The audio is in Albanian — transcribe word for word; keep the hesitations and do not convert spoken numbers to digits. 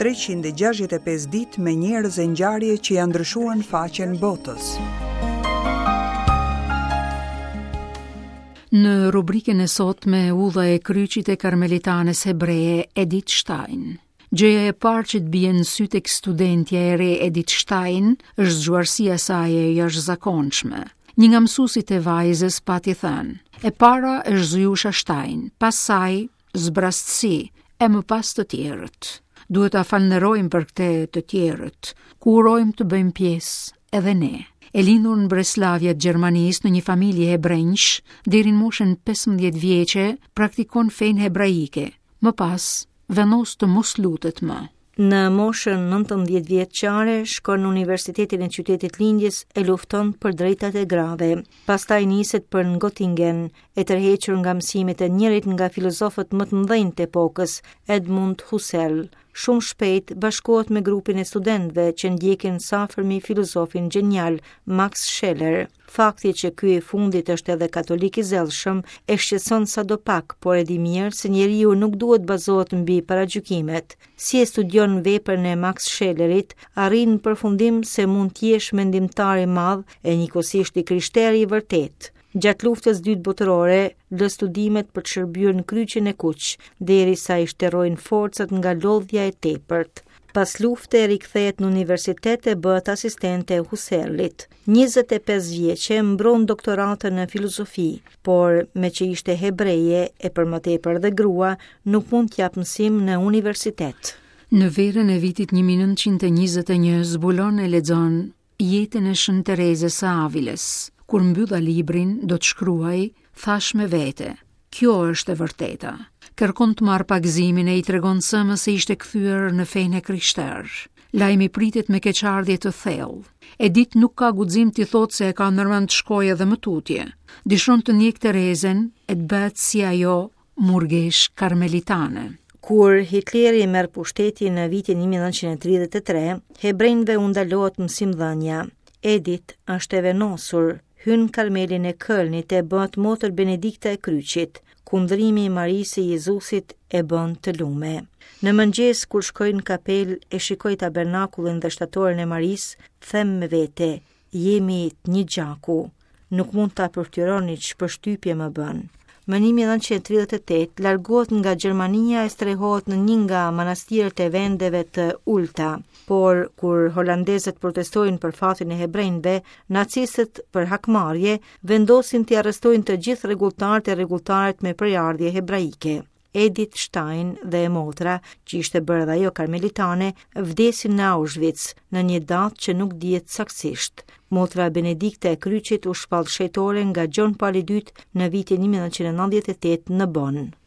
treqind e gjashtëdhjetë e pesë ditë me njerëz e ngjarje që janë ndryshuar në faqen botës. Në rubrikën e sotme Udha e Kryqit e Karmelitanes hebreje Edith Stein. Gjëja e parë që të bie në sy tek studentja e re Edith Stein është zgjuarsia e saj e jashtëzakonshme. Një nga mësuesit e vajzës pati thënë: "E para është Zujusha Stein, pas saj zbrastësi, e më pas të tjerët." Duhet ta falënderojmë për këtë të tjerët, ku urojmë të bëjmë pjesë edhe ne. E lindur në Breslavia të Gjermanisë në një familje hebrenjsh, deri në moshën pesëmbëdhjetë vjeçe praktikon fenë hebraike. Më pas vendos të mos lutet më. Në moshën nëntëmbëdhjetë vjeçare shkon në Universitetin e Qytetit Lindjes e lufton për drejtat e grave. Pastaj niset për në Göttingen, e tërhequr nga mësimet e njërit nga filozofët më të mëdhenj të epokës, Edmund Husserl. Shumë shpejt bashkohet me grupin e studentëve që ndjekin së afërmi filozofin gjenial Max Scheler. Fakti që ky i fundit është edhe katolik i zellshëm e shqetëson sado pak, por e di mirë se njeriu nuk duhet bazohet mbi paragjykimet. Si e studion veprën e Max Schelerit, arrin në përfundim se mund të jesh mendimtar i madh e njëkohësisht i krishteri i vërtet. Gjatë luftës dytë botërore, lë studimet për të shërbyer në Kryqin e Kuq, derisa i shterrojnë forcat nga lodhja e tepërt. Pas lufte rikthehet në universitet e bëhet asistente e Husserlit. njëzet e pesë vjeçe mbron doktoratën në filozofi, por me që ishte hebreje e për më tepër dhe grua, nuk mund t'jap mësim në universitet. Në verën e vitit një mijë nëntëqind e njëzet e një zbulon e lexon jetën e Shën Terezës së Avilës. Kur mbylla librin, do të shkruaj, thash me vete, kjo është e vërteta. Kërkon të marrë pagëzimin e i tregon sëmës se ishte kthyer në fenë e krishterë. Lajmi pritet me keqardhje të thellë. Edith nuk ka guxim t'i thotë se e ka ndërmend të shkojë edhe më tutje. Dëshiron të ndjek Terezen e të bëhet si ajo murgesh karmelitane. Kur Hitleri merr pushtetin në vitin një mijë nëntëqind e tridhjetë e tre, hebrejve u ndalohet mësimdhënia. Edith është e venosur, hyn Karmelin e Kölnit e bëhet motër Benedikta e Kryqit. Kundrimi i Marisë së Jezusit e bën të lume. Në mëngjes kur shkoj në kapel e shikoj tabernakullin dhe shtatoren e Marisë, them me vete, jemi të një gjaku. Nuk mund ta përfytyroni ç'përshtypje më bën. Më një mijë nëntëqind e tridhjetë e tetë largohet nga Gjermania e strehohet në një nga manastiret e vendeve të ulta, por kur holandezët protestojnë për fatin e hebrejve, nacistët për hakmarrje vendosin t'i arrestojnë të gjithë rregulltarët e rregulltarët me prejardhje hebraike. Edith Stein dhe e motra, që ishte bërë edhe ajo karmelitane, vdesin në Auschwitz në një datë që nuk dihet saktësisht. Motra Benedikta e Kryqit u shpall shenjtore nga Gjon Pali i Dytë në vitin një mijë nëntëqind e nëntëdhjetë e tetë në Bonn.